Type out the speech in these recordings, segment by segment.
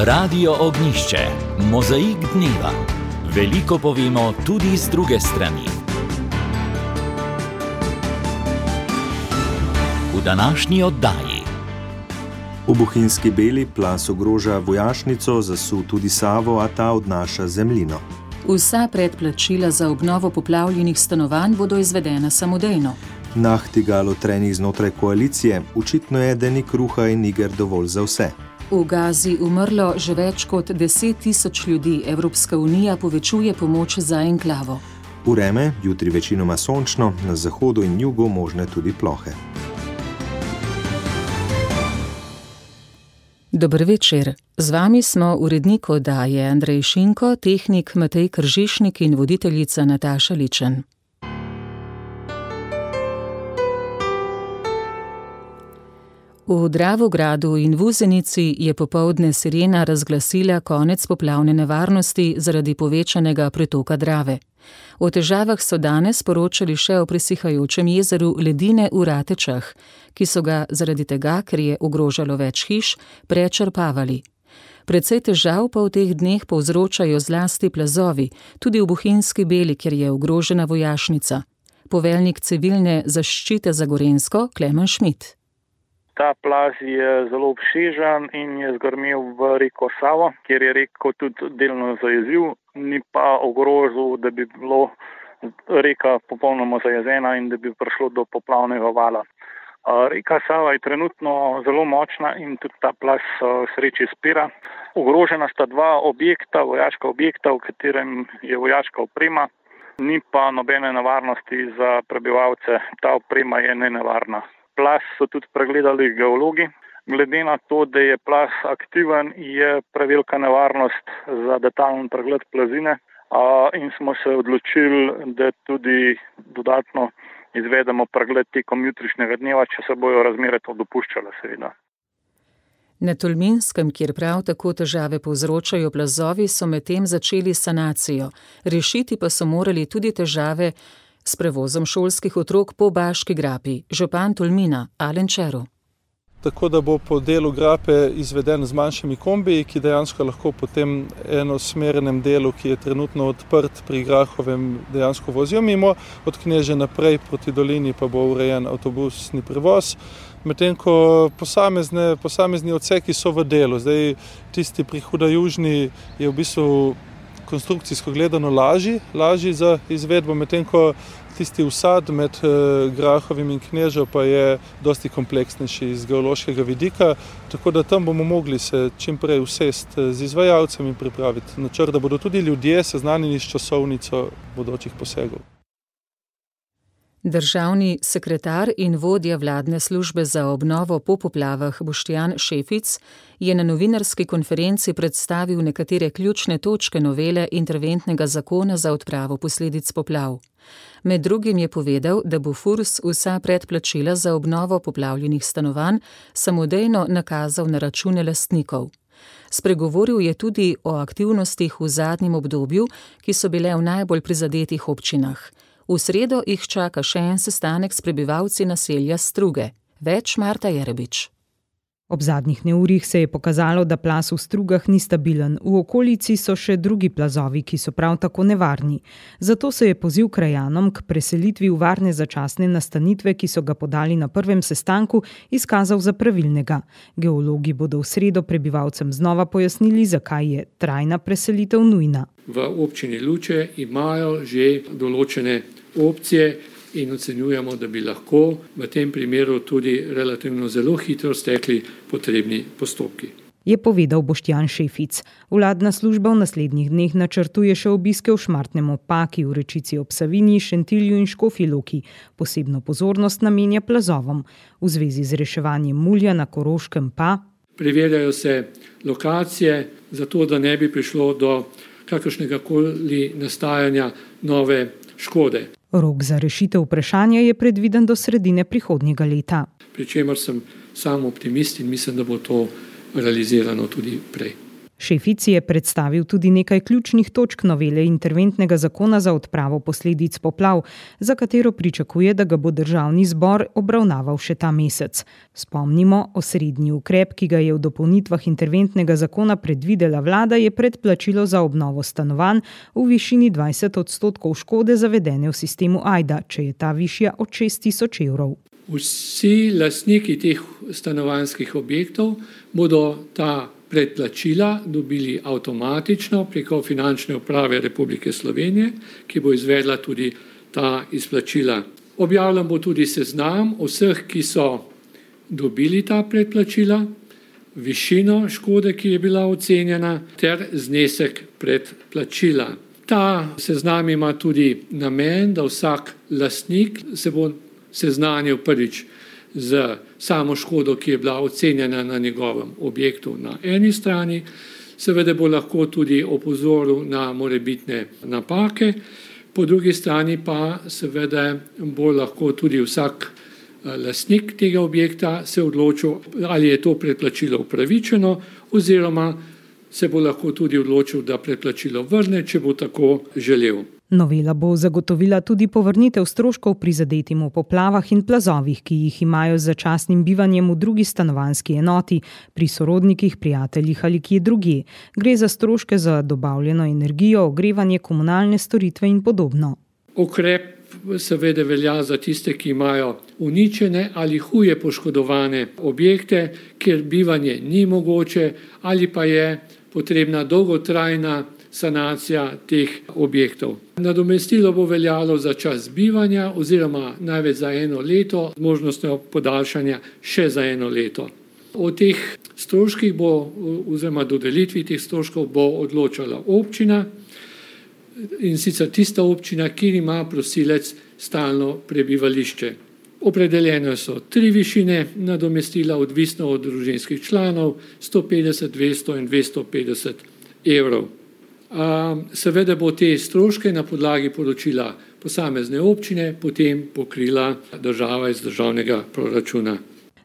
Radio Ognjišče, mozaik dneva. Veliko povemo tudi z druge strani. V današnji oddaji. V Bohinjski Beli plaz ogroža vojašnico, zasul tudi Savo, a ta odnaša zemljino. Vsa predplačila za obnovo poplavljenih stanovanj bodo izvedena samodejno. Nachtigal trenih znotraj koalicije, očitno je, da ni kruha in iger dovolj za vse. V Gazi umrlo že več kot 10.000 ljudi, Evropska unija povečuje pomoč za enklavo. Vreme, jutri večinoma sončno, na zahodu in jugu možne tudi plohe. Dober večer. Z vami smo urednik oddaje Andrej Šinko, tehnik Matej Kržišnik in voditeljica Nataša Ličen. V Dravogradu in Vuzenici je popoldne sirena razglasila konec poplavne nevarnosti zaradi povečanega pretoka Drave. O težavah so danes poročali še o presihajočem jezeru Ledine v Ratečah, ki so ga zaradi tega, ker je ogrožalo več hiš, prečrpavali. Precej težav pa v teh dneh povzročajo zlasti plazovi, tudi v Bohinjski Beli, kjer je ogrožena vojašnica. Poveljnik civilne zaščite za Gorenjsko, Klemen Šmit. Ta plaz je zelo obsežen in je zgrmel v reko Savo, kjer je reko tudi delno zajezil, ni pa ogrozil, da bi bilo reka popolnoma zajezena in da bi prišlo do poplavnega vala. Reka Sava je trenutno zelo močna in tudi ta plaz sreči spira. Ogrožena sta dva objekta, vojaška objekta, v katerem je vojaška oprema, ni pa nobene nevarnosti za prebivalce, ta oprema je nenevarna. Plaz so tudi pregledali geologi. Glede na to, da je plaz aktiven, je prevelika nevarnost za detajlen pregled plazine in smo se odločili, da tudi dodatno izvedemo pregled tekom jutrišnjega dneva, če se bojo razmere to dopuščale, seveda. Na Tolminskem, kjer prav tako težave povzročajo plazovi, so medtem začeli sanacijo. Rešiti pa so morali tudi težave s prevozom šolskih otrok po Baški grapi. Župan Tolmina, Alen Čero. Tako da bo po delu grape izveden z manjšimi kombiji, ki dejansko lahko po tem enosmernem delu, ki je trenutno odprt pri Grahovem, dejansko vozijo mimo, od Kneže naprej proti dolini pa bo urejen avtobusni prevoz. Medtem ko posamezni odseki so v delu. Zdaj tisti pri Hudajužni je v bistvu konstrukcijsko gledano lažji za izvedbo, medtem ko tisti usad med Grahovim in Knežo pa je dosti kompleksnejši iz geološkega vidika, tako da tam bomo mogli se čim prej usesti z izvajalcem in pripraviti načrt, da bodo tudi ljudje seznanjeni s časovnico bodočih posegov. Državni sekretar in vodja vladne službe za obnovo po poplavah Boštjan Šefic je na novinarski konferenci predstavil nekatere ključne točke novele interventnega zakona za odpravo posledic poplav. Med drugim je povedal, da bo FURS vsa predplačila za obnovo poplavljenih stanovanj samodejno nakazal na račune lastnikov. Spregovoril je tudi o aktivnostih v zadnjem obdobju, ki so bile v najbolj prizadetih občinah. V sredo jih čaka še en sestanek s prebivalci naselja Struge. Več Marta Jerebič. Ob zadnjih neurjih se je pokazalo, da plaz v Strugah ni stabilen. V okolici so še drugi plazovi, ki so prav tako nevarni. Zato se je poziv krajanom k preselitvi v varne začasne nastanitve, ki so ga podali na prvem sestanku, izkazal za pravilnega. Geologi bodo v sredo prebivalcem znova pojasnili, zakaj je trajna preselitev nujna. V občini Luče imajo že določene opcije in ocenjujemo, da bi lahko v tem primeru tudi relativno zelo hitro stekli potrebni postopki. Je povedal Boštjan Šefic. Vladna služba v naslednjih dneh načrtuje še obiske v Šmartnem ob Paki, v Rečici ob Savinji, Šentilju in Škofji Loki. Posebno pozornost namenja plazovom. V zvezi z reševanjem mulja na Koroškem pa preverjajo se lokacije, zato da ne bi prišlo do kakršnegakoli nastajanja nove škode. Rok za rešitev vprašanja je predviden do sredine prihodnjega leta. Pri čemer sem sam optimist in mislim, da bo to realizirano tudi prej. Šefic je predstavil tudi nekaj ključnih točk novele interventnega zakona za odpravo posledic poplav, za katero pričakuje, da ga bo državni zbor obravnaval še ta mesec. Spomnimo, osrednji ukrep, ki ga je v dopolnitvah interventnega zakona predvidela vlada, je predplačilo za obnovo stanovanj v višini 20% škode zavedene v sistemu AJDA, če je ta višja od 6.000 evrov. Vsi lastniki teh stanovanjskih objektov bodo ta predplačila dobili avtomatično preko Finančne uprave Republike Slovenije, ki bo izvedla tudi ta izplačila. Objavljen bo tudi seznam vseh, ki so dobili ta predplačila, višino škode, ki je bila ocenjena, ter znesek predplačila. Ta seznam ima tudi namen, da vsak lastnik se bo seznanil prvič z samo škodo, ki je bila ocenjena na njegovem objektu na eni strani, seveda bo lahko tudi opozoril na morebitne napake, po drugi strani pa seveda bo lahko tudi vsak lastnik tega objekta se odločil, ali je to predplačilo upravičeno, oziroma se bo lahko tudi odločil, da predplačilo vrne, če bo tako želel. Novela bo zagotovila tudi povrnitev stroškov prizadetim v poplavah in plazovih, ki jih imajo z začasnim bivanjem v drugi stanovanjski enoti, pri sorodnikih, prijateljih ali kje drugje. Gre za stroške za dobavljeno energijo, ogrevanje, komunalne storitve in podobno. Ukrep seveda velja za tiste, ki imajo uničene ali huje poškodovane objekte, kjer bivanje ni mogoče ali pa je potrebna dolgotrajna sanacija teh objektov. Nadomestilo bo veljalo za čas bivanja oziroma največ za 1 leto, z možnostjo podaljšanja še za 1 leto. O teh stroških oziroma dodelitvi teh stroškov bo odločala občina, in sicer tista občina, kjer ima prosilec stalno prebivališče. Opredeljene so 3 višine nadomestila, odvisno od družinskih članov, 150, 200 in 250 evrov. Seveda bo te stroške na podlagi poročila posamezne občine potem pokrila država iz državnega proračuna.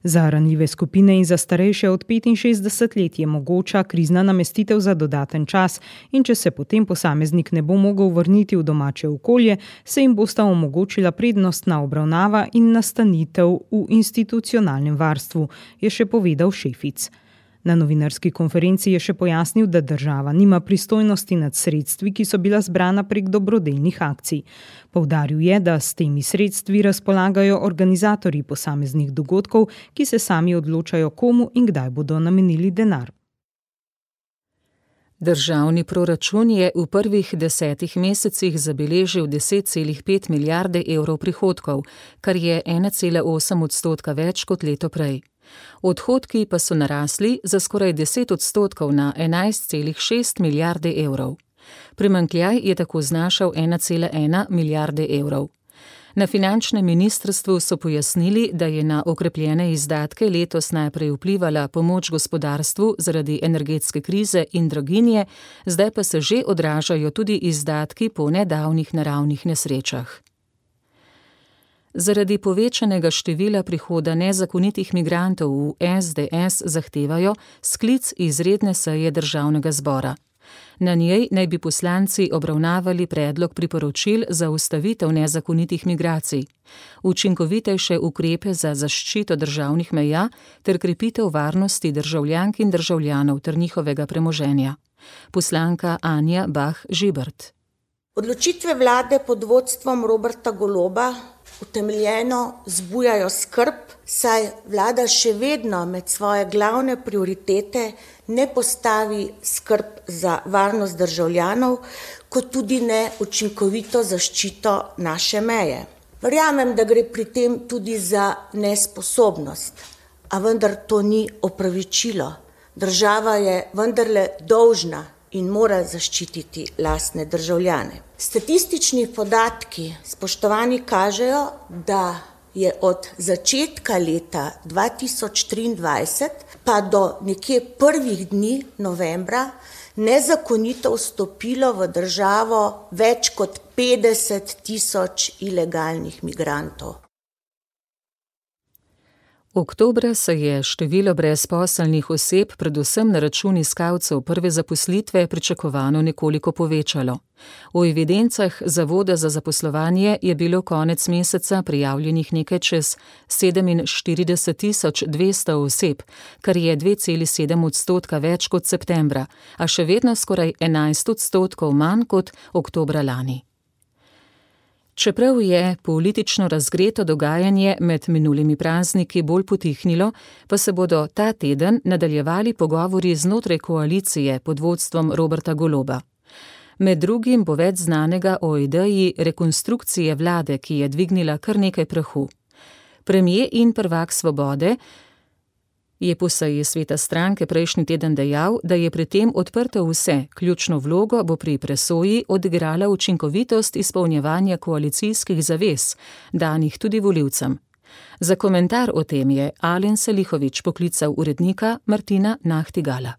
Za ranljive skupine in za starejše od 65 let je mogoča krizna namestitev za dodaten čas in če se potem posameznik ne bo mogel vrniti v domače okolje, se jim bosta omogočila prednostna obravnava in nastanitev v institucionalnem varstvu, je še povedal Šefic. Na novinarski konferenci je še pojasnil, da država nima pristojnosti nad sredstvi, ki so bila zbrana prek dobrodelnih akcij. Poudaril je, da s temi sredstvi razpolagajo organizatorji posameznih dogodkov, ki se sami odločajo, komu in kdaj bodo namenili denar. Državni proračun je v prvih 10 mesecih zabeležil 10,5 milijarde evrov prihodkov, kar je 1,8% več kot leto prej. Odhodki pa so narasli za skoraj 10% na 11,6 milijarde evrov. Primanjkljaj je tako znašal 1,1 milijarde evrov. Na finančnem ministrstvu so pojasnili, da je na okrepljene izdatke letos najprej vplivala pomoč gospodarstvu zaradi energetske krize in draginje, zdaj pa se že odražajo tudi izdatki po nedavnih naravnih nesrečah. Zaradi povečanega števila prihoda nezakonitih migrantov v SDS zahtevajo sklic izredne seje državnega zbora. Na njej naj bi poslanci obravnavali predlog priporočil za ustavitev nezakonitih migracij, učinkovitejše ukrepe za zaščito državnih meja ter krepitev varnosti državljank in državljanov ter njihovega premoženja. Poslanka Anja Bah Žibert. Odločitve vlade pod vodstvom Roberta Goloba utemeljeno zbujajo skrb, saj vlada še vedno med svoje glavne prioritete ne postavi skrb za varnost državljanov, kot tudi ne učinkovito zaščito naše meje. Verjamem, da gre pri tem tudi za nesposobnost, a vendar to ni opravičilo. Država je vendarle dolžna in mora zaščititi lastne državljane. Statistični podatki, spoštovani, kažejo, da je od začetka leta 2023 pa do nekje prvih dni novembra nezakonito vstopilo v državo več kot 50 000 ilegalnih migrantov. Oktobra se je število brezposelnih oseb, predvsem na račun iskalcev prve zaposlitve, pričakovano nekoliko povečalo. V evidencah Zavoda za zaposlovanje je bilo konec meseca prijavljenih nekaj čez 47.200 oseb, kar je 2,7% več kot septembra, a še vedno skoraj 11% manj kot oktobra lani. Čeprav je politično razgreto dogajanje med minulimi prazniki bolj potihnilo, pa se bodo ta teden nadaljevali pogovori znotraj koalicije pod vodstvom Roberta Goloba. Med drugim bo več znanega o ideji rekonstrukcije vlade, ki je dvignila kar nekaj prahu. Premier in prvak Svobode je po seji sveta stranke prejšnji teden dejal, da je pri tem odprto vse, ključno vlogo bo pri presoji odigrala učinkovitost izpolnjevanja koalicijskih zavez, danih tudi volivcem. Za komentar o tem je Alen Selihović poklical urednika Martina Nahtigala.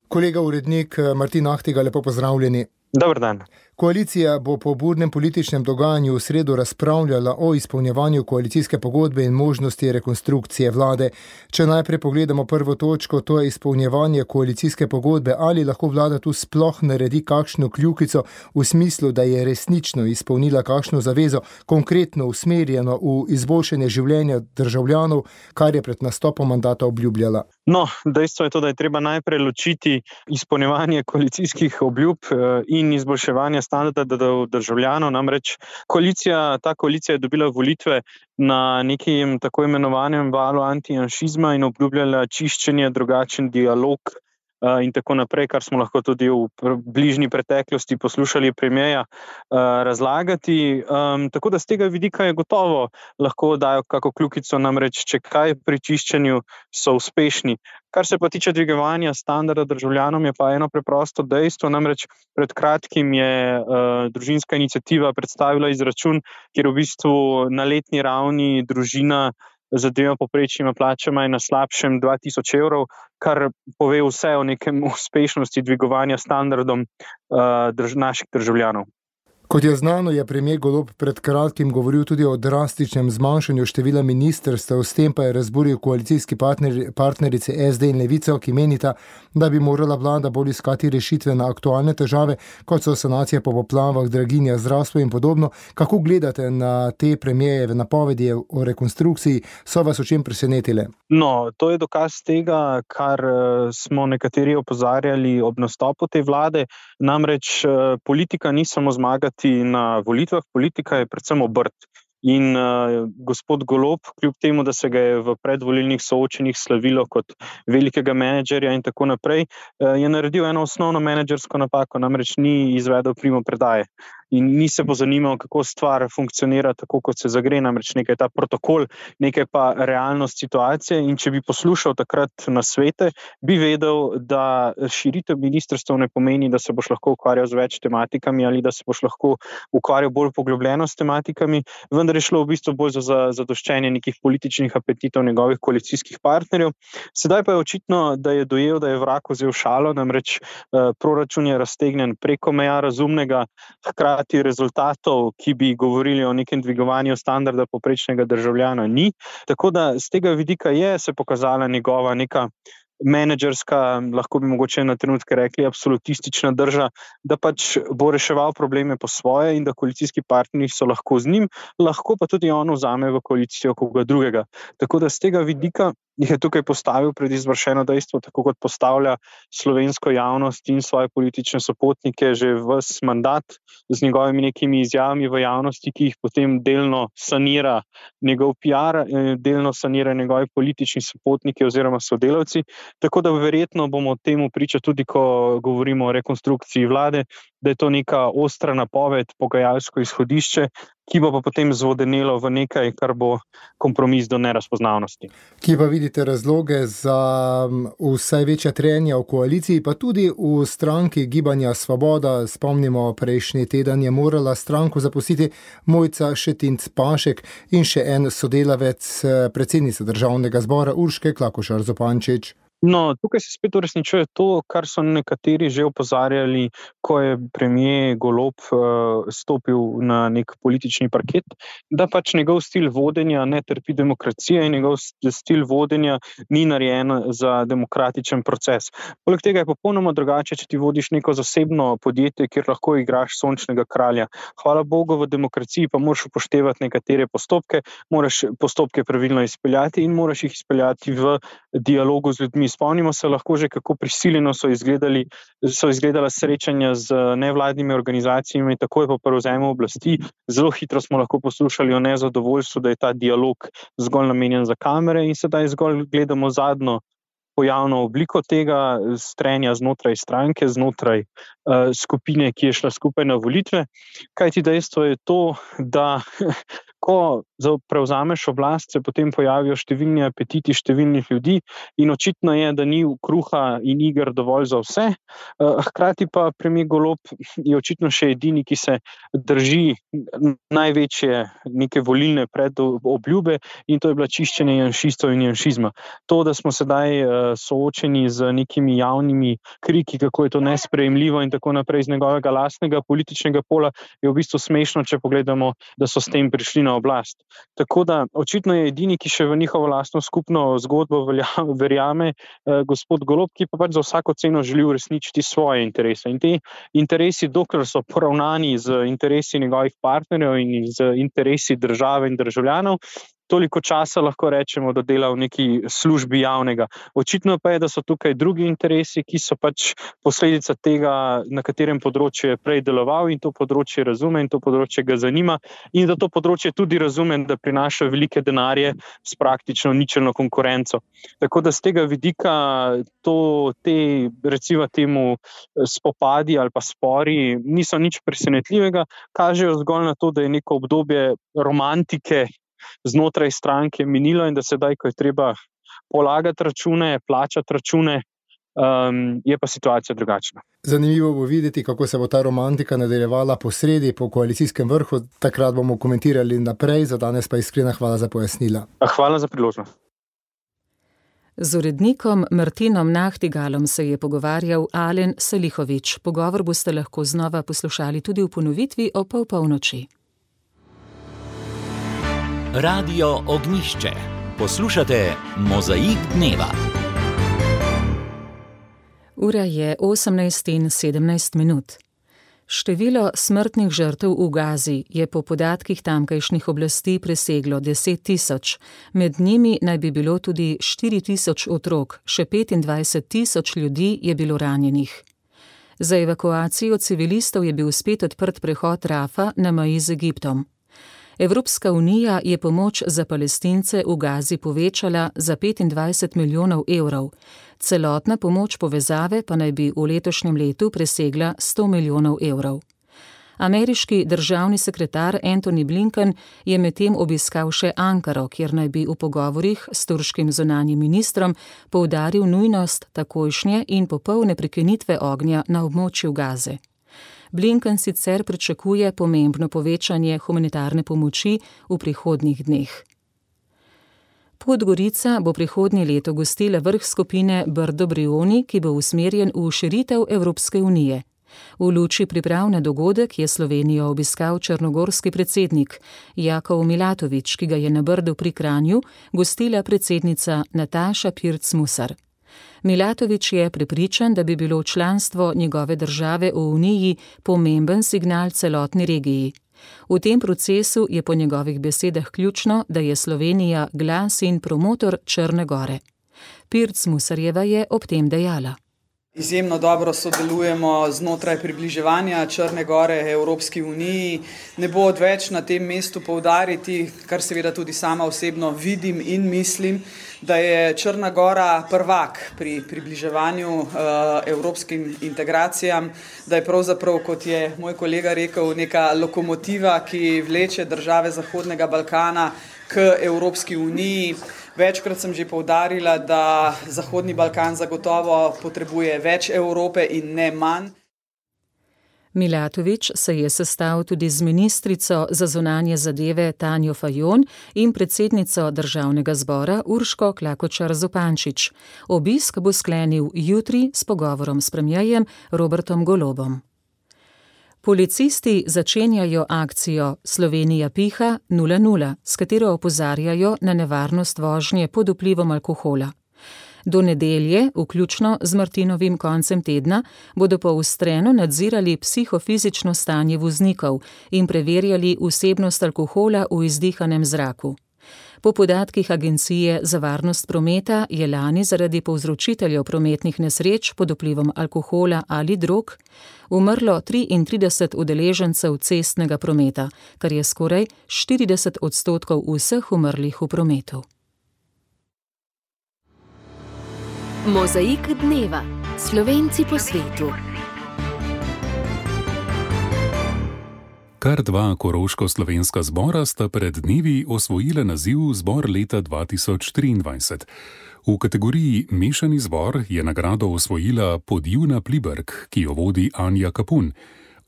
Kolega urednik Martin Nahtigal, lepo pozdravljeni. Dobar dan. Koalicija bo po burnem političnem dogajanju v sredo razpravljala o izpolnjevanju koalicijske pogodbe in možnosti rekonstrukcije vlade. Če najprej pogledamo prvo točko, to je izpolnjevanje koalicijske pogodbe, ali lahko vlada tu sploh naredi kakšno kljukico v smislu, da je resnično izpolnila kakšno zavezo, konkretno usmerjeno v izboljšanje življenja državljanov, kar je pred nastopom mandata obljubljala. No, dejstvo je to, da je treba najprej ločiti izpolnjevanje koalicijskih obljub in izboljševanje standardov državljanov. Namreč ta koalicija je dobila volitve na nekem tako imenovanem valu antijanšizma in obljubljala čiščenje, drugačen dialog in tako naprej, kar smo lahko tudi v bližnji preteklosti poslušali premierja razlagati. Tako da z tega vidika je gotovo lahko dajo kako kljukico, namreč če kaj pri čiščenju so uspešni. Kar se pa tiče dvigovanja standarda državljanom, je pa eno preprosto dejstvo, namreč pred kratkim je družinska iniciativa predstavila izračun, kjer v bistvu na letni ravni družina z 2 povprečnima plačama je na slabšem 2000 evrov, kar pove vse o nekem uspešnosti dvigovanja standardom naših državljanov. Kot je znano, je premier Golob pred kratkim govoril tudi o drastičnem zmanjšanju števila ministrstev, s tem pa je razburil koalicijski partnerice SD in Levico, ki menita, da bi morala vlada bolj iskati rešitve na aktualne težave, kot so sanacije po poplavah, draginja, zdravstvo in podobno. Kako gledate na te premierjeve napovedi o rekonstrukciji? So vas o čem presenetile? No, to je dokaz tega, kar smo nekateri opozarjali ob nastopu te vlade. Namreč politika ni samo zmagati na volitvah, politika je predvsem obrt. In gospod Golob, kljub temu, da se ga je v predvolilnih soočenjih slavilo kot velikega menedžerja in tako naprej, je naredil eno osnovno menedžersko napako, namreč ni izvedel primopredaje. In ni se pozanimal, kako stvar funkcionira tako, kot se zagre, namreč nekaj je ta protokol, nekaj pa realnost situacije. In če bi poslušal takrat nasvete, bi vedel, da širitev ministrstev ne pomeni, da se boš lahko ukvarjal z več tematikami ali da se boš lahko ukvarjal bolj poglobljeno s tematikami, vendar je šlo v bistvu bolj za zadoščenje nekih političnih apetitov njegovih koalicijskih partnerjev. Sedaj pa je očitno, da je dojel, da je vrag vzel šalo, namreč proračun je raztegnjen preko meja razumnega, hkrati rezultatov, ki bi govorili o nekem dvigovanju standarda povprečnega državljana, ni. Tako da z tega vidika je se pokazala njegova neka menedžerska, lahko bi mogoče na trenutke rekli absolutistična drža, da pač bo reševal probleme po svoje in da koalicijski partnerji so lahko z njim, lahko pa tudi on vzame v koalicijo koga drugega. Tako da z tega vidika jih je tukaj postavil pred izvršeno dejstvo, tako kot postavlja slovensko javnost in svoje politične sopotnike že ves mandat z njegovimi nekimi izjavami v javnosti, ki jih potem delno sanira njegov PR, delno sanira njegovi politični sopotniki oziroma sodelavci. Tako da verjetno bomo temu priča tudi, ko govorimo o rekonstrukciji vlade, da je to neka ostra napoved, pogajalsko izhodišče, ki bo pa potem zvodenelo v nekaj, kar bo kompromis do nerazpoznavnosti. Kje pa vidite razloge za vse večja trenja v koaliciji, pa tudi v stranki Gibanja Svoboda? Spomnimo, prejšnji teden je morala stranko zapustiti Mojca Šetinc Pašek in še en sodelavec predsednice Državnega zbora Urške Klakošar Zupančič. No, tukaj se spet uresničuje to, kar so nekateri že opozarjali, ko je premier Golob stopil na nek politični parket, da pač njegov stil vodenja ne trpi demokracije in njegov stil vodenja ni narejen za demokratičen proces. Poleg tega je popolnoma drugače, če ti vodiš neko zasebno podjetje, kjer lahko igraš sončnega kralja. Hvala Bogu, v demokraciji pa moraš upoštevati nekatere postopke, moraš postopke pravilno izpeljati in moraš jih izpeljati v dialogu z ljudmi. Spomnimo se lahko že, kako prisiljeno so izgledala srečanja z nevladnimi organizacijami, takoj po prevzemu oblasti. Zelo hitro smo lahko poslušali o nezadovoljstvu, da je ta dialog zgolj namenjen za kamere in sedaj zgolj gledamo zadnjo pojavno obliko tega strenja znotraj stranke, znotraj skupine, ki je šla skupaj na volitve. Kajti dejstvo je to, da ko prevzameš oblast, se potem pojavijo številni apetiti številnih ljudi in očitno je, da ni kruha in iger dovolj za vse. Hkrati pa premier Golob je očitno še edini, ki se drži največje neke volilne predobljube in to je bila čiščenje janšistov in janšizma. To, da smo sedaj soočeni z nekimi javnimi kriki, kako je to nesprejemljivo in tako naprej z njegovega lastnega političnega pola, je v bistvu smešno, če pogledamo, da so s tem prišli na oblast. Tako da očitno je edini, ki še v njihovo lastno skupno zgodbo verjame gospod Golob, ki pa pač za vsako ceno želi uresničiti svoje interese. In te interesi, dokler so poravnani z interesi njegovih partnerjev in z interesi države in državljanov, toliko časa lahko rečemo, da dela v neki službi javnega. Očitno pa je, da so tukaj drugi interesi, ki so pač posledica tega, na katerem področju je prej deloval in to področje razume in to področje ga zanima in da to področje tudi razume, da prinaša velike denarje s praktično ničelno konkurenco. Tako da z tega vidika te recimo temu spopadi ali pa spori niso nič presenetljivega, kažejo zgolj na to, da je neko obdobje romantike znotraj stranke minilo in da sedaj, ko je treba polagati račune, plačati račune, je pa situacija drugačna. Zanimivo bo videti, kako se bo ta romantika nadaljevala po sredi, po koalicijskem vrhu. Takrat bomo komentirali naprej, za danes pa iskrena hvala za pojasnila. Hvala za priložnost. Z urednikom Martinom Nahtigalom se je pogovarjal Alen Salihović. Pogovor boste lahko znova poslušali tudi v ponovitvi ob polnoči. Radio Ognjišče. Poslušate Mozaik dneva. Ura je 18:17. Število smrtnih žrtev v Gazi je po podatkih tamkajšnjih oblasti preseglo 10.000. Med njimi naj bi bilo tudi 4.000 otrok, še 25.000 ljudi je bilo ranjenih. Za evakuacijo civilistov je bil spet odprt prehod Rafa na meji z Egiptom. Evropska unija je pomoč za Palestince v Gazi povečala za 25 milijonov evrov. Celotna pomoč povezave pa naj bi v letošnjem letu presegla 100 milijonov evrov. Ameriški državni sekretar Antony Blinken je medtem obiskal še Ankaro, kjer naj bi v pogovorih s turškim zunanjim ministrom poudaril nujnost takojšnje in popolne prekinitve ognja na območju Gaze. Blinken sicer pričakuje pomembno povečanje humanitarne pomoči v prihodnjih dneh. Podgorica bo prihodnje leto gostila vrh skupine Brdo-Brioni, ki bo usmerjen v širitev Evropske unije. V luči priprav na dogodek je Slovenijo obiskal črnogorski predsednik Jakov Milatović, ki ga je na Brdu pri Kranju gostila predsednica Nataša Pirc Musar. Milatović je prepričan, da bi bilo članstvo njegove države v Uniji pomemben signal celotni regiji. V tem procesu je po njegovih besedah ključno, da je Slovenija glas in promotor Črne Gore. Pirc Musarjeva je ob tem dejala. Izjemno dobro sodelujemo znotraj približevanja Črne Gore Evropski uniji. Ne bo odveč na tem mestu poudariti, kar seveda tudi sama osebno vidim in mislim, da je Črna Gora prvak pri približevanju evropskim integracijam, da je pravzaprav, kot je moj kolega rekel, neka lokomotiva, ki vleče države Zahodnega Balkana k Evropski uniji. Večkrat sem že poudarila, da Zahodni Balkan zagotovo potrebuje več Evrope in ne manj. Milatović se je sestal tudi z ministrico za zunanje zadeve Tanjo Fajon in predsednico državnega zbora Urško Klakočar Zupančič. Obisk bo sklenil jutri s pogovorom s premierjem Robertom Golobom. Policisti začenjajo akcijo Slovenija piha 0:0, s katero opozarjajo na nevarnost vožnje pod vplivom alkohola. Do nedelje, vključno z Martinovim koncem tedna, bodo poostreno nadzirali psihofizično stanje voznikov in preverjali vsebnost alkohola v izdihanem zraku. Po podatkih Agencije za varnost prometa je lani zaradi povzročiteljev prometnih nesreč pod vplivom alkohola ali drog umrlo 33 udeležencev cestnega prometa, kar je skoraj 40% vseh umrlih v prometu. Mozaik dneva. Slovenci po svetu. Kar dva koroško-slovenska zbora sta pred dnevi osvojila naziv Zbor leta 2023. V kategoriji Mešani zbor je nagrado osvojila Podivna Pliberk, ki jo vodi Anja Kapun.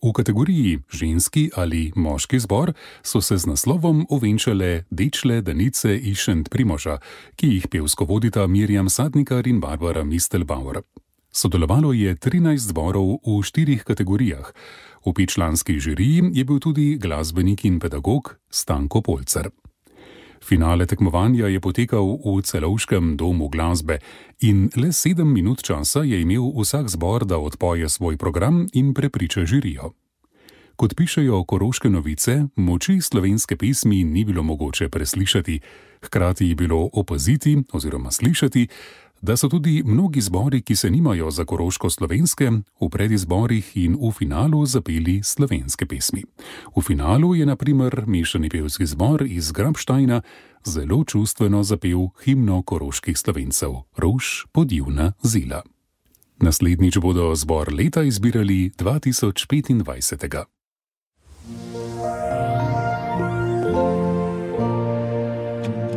V kategoriji Ženski ali moški zbor so se z naslovom ovenčale Dečle Danice iz Šentprimoža, ki jih pevsko vodita Mirjam Sadnikar in Barbara Mistelbauer. Sodelovalo je 13 zborov v 4 kategorijah. V 5-članski žiriji je bil tudi glasbenik in pedagog Stanko Polcer. Finale tekmovanja je potekal v Celovškem domu glasbe in le 7 minut časa je imel vsak zbor, da odpoje svoj program in prepriča žirijo. Kot pišejo Koroške novice, moči slovenske pesmi ni bilo mogoče preslišati, hkrati je bilo opaziti oziroma slišati, da so tudi mnogi zbori, ki se nimajo za koroško-slovenske, v predizborih in v finalu zapeli slovenske pesmi. V finalu je na primer mešani pevski zbor iz Grabštajna zelo čustveno zapel himno koroških Slovencev Rož podivna zila. Naslednjič bodo zbor leta izbirali 2025.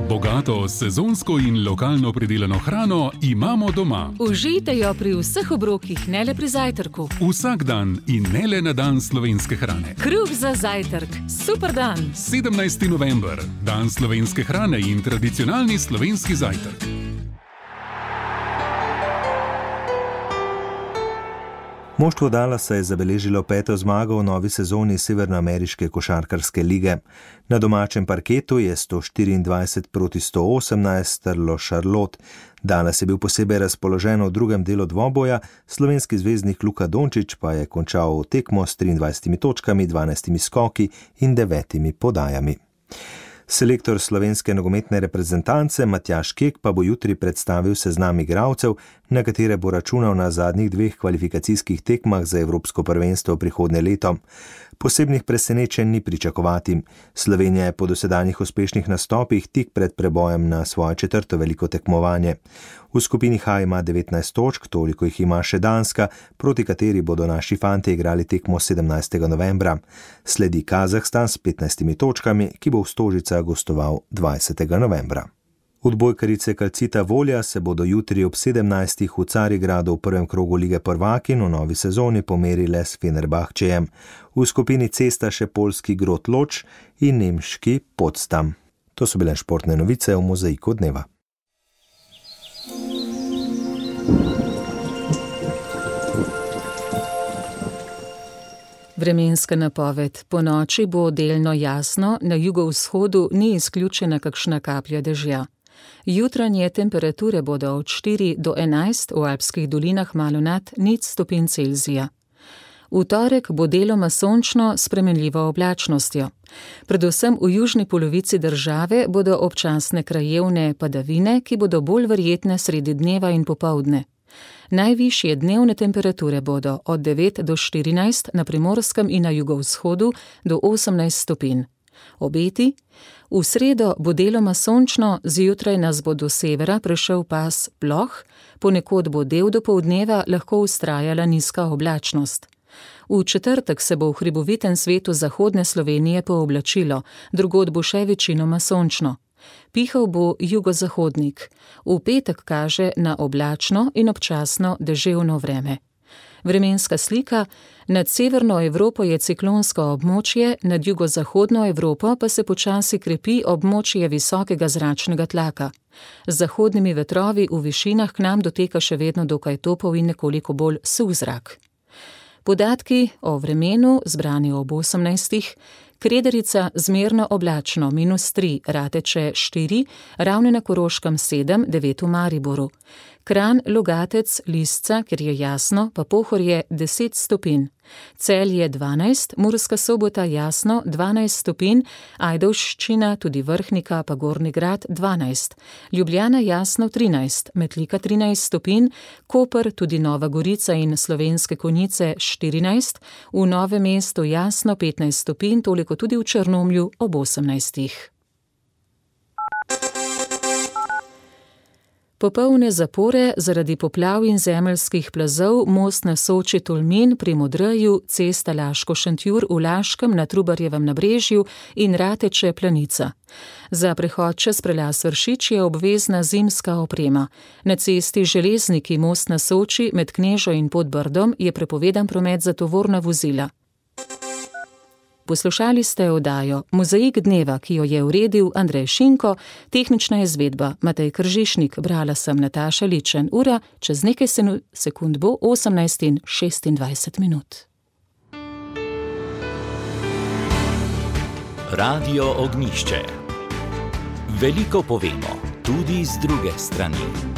Bogato, sezonsko in lokalno pridelano hrano imamo doma. Užijte jo pri vseh obrokih, ne le pri zajtrku. Vsak dan in ne le na dan slovenske hrane. Kruh za zajtrk, super dan. 17. november, dan slovenske hrane in tradicionalni slovenski zajtrk. Moštvo Dallasa je zabeležilo 5. zmago v novi sezoni Severnoameriške košarkarske lige. Na domačem parketu je 124-118 strlo Charlotte. Dallas je bil posebej razpoložen v drugem delu dvoboja, slovenski zvezdnik Luka Dončić pa je končal tekmo s 23 točkami, 12 skoki in 9 podajami. Selektor slovenske nogometne reprezentance Matjaž Kek pa bo jutri predstavil seznam igralcev, na katere bo računal na zadnjih 2 kvalifikacijskih tekmah za Evropsko prvenstvo prihodnje leto. Posebnih presenečenj ni pričakovati. Slovenija je po dosedanjih uspešnih nastopih tik pred prebojem na svoje 4. veliko tekmovanje. V skupini H ima 19 točk, toliko jih ima še Danska, proti kateri bodo naši fantje igrali tekmo 17. novembra. Sledi Kazahstan s 15 točkami, ki bo v Stožicah gostoval 20. novembra. Odbojkarice Calcita Volja se bodo jutri ob 17. v Carigradu v prvem krogu Lige prvakinj v novi sezoni pomerile s Fenerbahčejem. V skupini C sta še poljski Grot Lodž in nemški Potsdam. To so bile športne novice v Mozaiku dneva. Vremenska napoved. Po noči bo delno jasno, na jugovzhodu ni izključena kakšna kaplja dežja. Jutranje temperature bodo od 4 do 11, v alpskih dolinah malo nad 0 stopinj Celzija. V torek bo deloma sončno s spremenljivo oblačnostjo. Predvsem v južni polovici države bodo občasne krajevne padavine, ki bodo bolj verjetne sredi dneva in popoldne. Najvišje dnevne temperature bodo od 9 do 14 na Primorskem in na jugovzhodu do 18 stopinj. Obeti? V sredo bo deloma sončno, zjutraj nas bo do severa prešel pas ploh, ponekod bo del dopoldneva lahko vztrajala nizka oblačnost. V četrtek se bo v hribovitem svetu zahodne Slovenije pooblačilo, drugod bo še večinoma sončno. Pihal bo jugozahodnik. V petek kaže na oblačno in občasno deževno vreme. Vremenska slika: nad severno Evropo je ciklonsko območje, nad jugozahodno Evropo pa se počasi krepi območje visokega zračnega tlaka. Z zahodnimi vetrovi v višinah k nam doteka še vedno dokaj topel in nekoliko bolj suh zrak. Podatki o vremenu, zbrani ob 18. Krederica zmerno oblačno -3, Rateče 4, Ravne na Koroškem 7, 9 v Mariboru. Kranj, Logatec, Lisca, kjer je jasno, pa Pohorje 10 stopinj. Celje 12, Murska Sobota jasno 12 stopinj, Ajdovščina, tudi Vrhnika pa Gornji Grad 12, Ljubljana jasno 13, Metlika 13 stopinj, Koper, tudi Nova Gorica in Slovenske Konjice 14, v Novem mestu jasno 15 stopinj, toliko tudi v Črnomlju ob 18. Popolne zapore zaradi poplav in zemeljskih plazov most na Soči Tolmin pri Modreju, cesta Laško-Šentjur v Laškem na Trubarjevem nabrežju in Rateče Planica. Za prehod čez prelaz Vršič je obvezna zimska oprema. Na cesti Železniki most na Soči med Knežo in Podbrdom je prepovedan promet za tovorna vozila. Poslušali ste oddajo Mozaik dneva, ki jo je uredil Andrej Šinko, tehnična izvedba Matej Kržišnik, brala sem Nataša Ličen. Ura čez nekaj sekund bo 18:26. Radio Ognjišče. Veliko povemo, tudi z druge strani.